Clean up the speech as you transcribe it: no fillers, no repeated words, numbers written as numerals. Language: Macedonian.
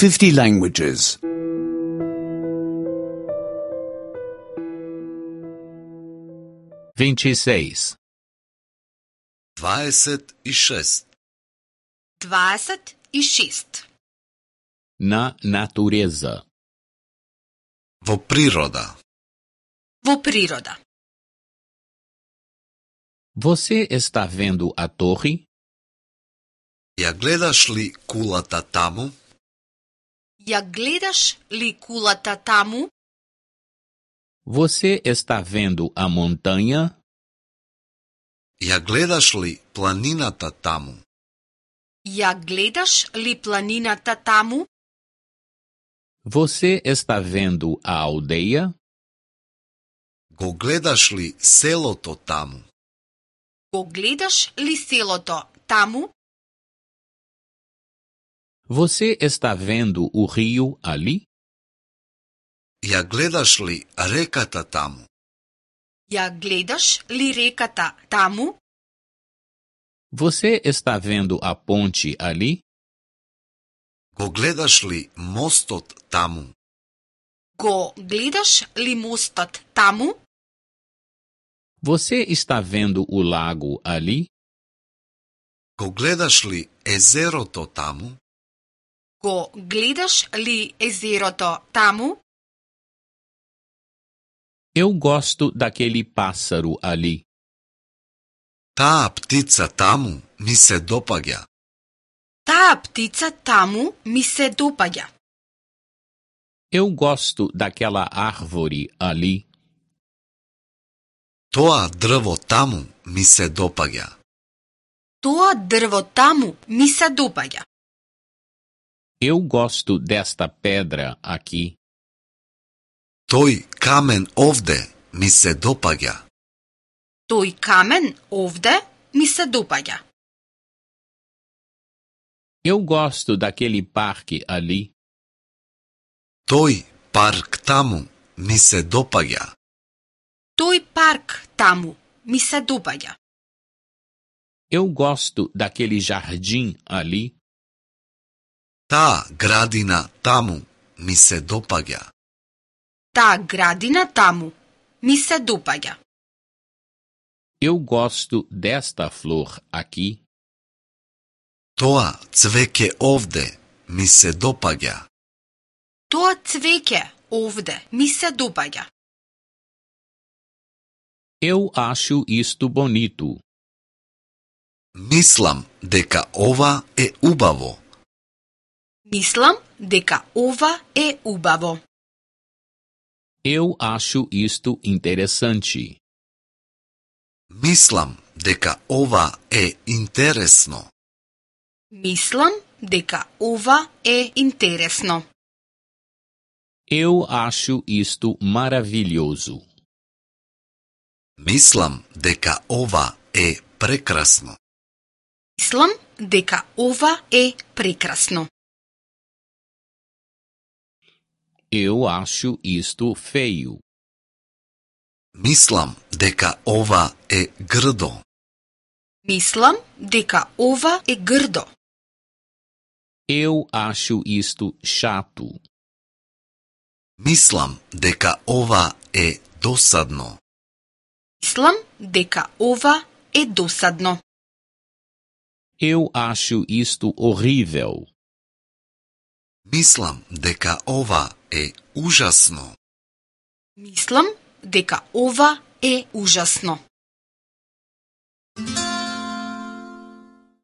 50 languages. 26. 26. 26. Na natureza. Во природа. Во природа. Você está vendo a torre? Ја гледаш ли кулата таму? Ја гледаш ли кулата таму? Você está vendo a montanha? Ја гледаш ли планината таму? Ја гледаш ли планината таму? Você está vendo a aldeia? Го гледаш ли селото таму? Го гледаш ли селото таму? Você está vendo o rio ali? Ја гледаш ли реката таму? Ја гледаш ли реката таму? Você está vendo a ponte ali? Го гледаш ли мостот таму? Го гледаш ли мостот таму? Você está vendo o lago ali? Го гледаш ли езерото таму? Го гледаш ли езерото таму? Eu gosto daquele pássaro ali. Таа птица таму ми се допаѓа. Таа птица таму ми се допаѓа. Eu gosto daquela árvore ali. Тоа дрво таму ми се допаѓа. Тоа дрво таму ми се допаѓа. Eu gosto desta pedra aqui. Тој камен овде ми се допаѓа. Тој камен овде ми се допаѓа. Eu gosto daquele parque ali. Тој парк таму ми се допаѓа. Тој парк таму ми се допаѓа. Eu gosto daquele jardim ali. Таа градина таму ми се допаѓа. Таа градина таму ми се допаѓа. Eu gosto desta flor aqui. Тоа цвеќе овде ми се допаѓа. Тоа цвеќе овде ми се допаѓа. Eu acho isto bonito. Мислам дека ова е убаво. Мислам дека ова е убаво. Eu acho isto interessante. Мислам дека ова е интересно. Мислам дека ова е интересно. Eu acho isto maravilhoso. Мислам дека ова е прекрасно. Мислам дека ова е прекрасно. Eu acho isto feio. Мислам дека ова е грдо. Мислам дека ова е грдо. Eu acho isto chato. Мислам дека ова е досадно. Мислам дека ова е досадно. Eu acho isto horrível. Мислам дека ова е ужасно. Мислам дека ова е ужасно.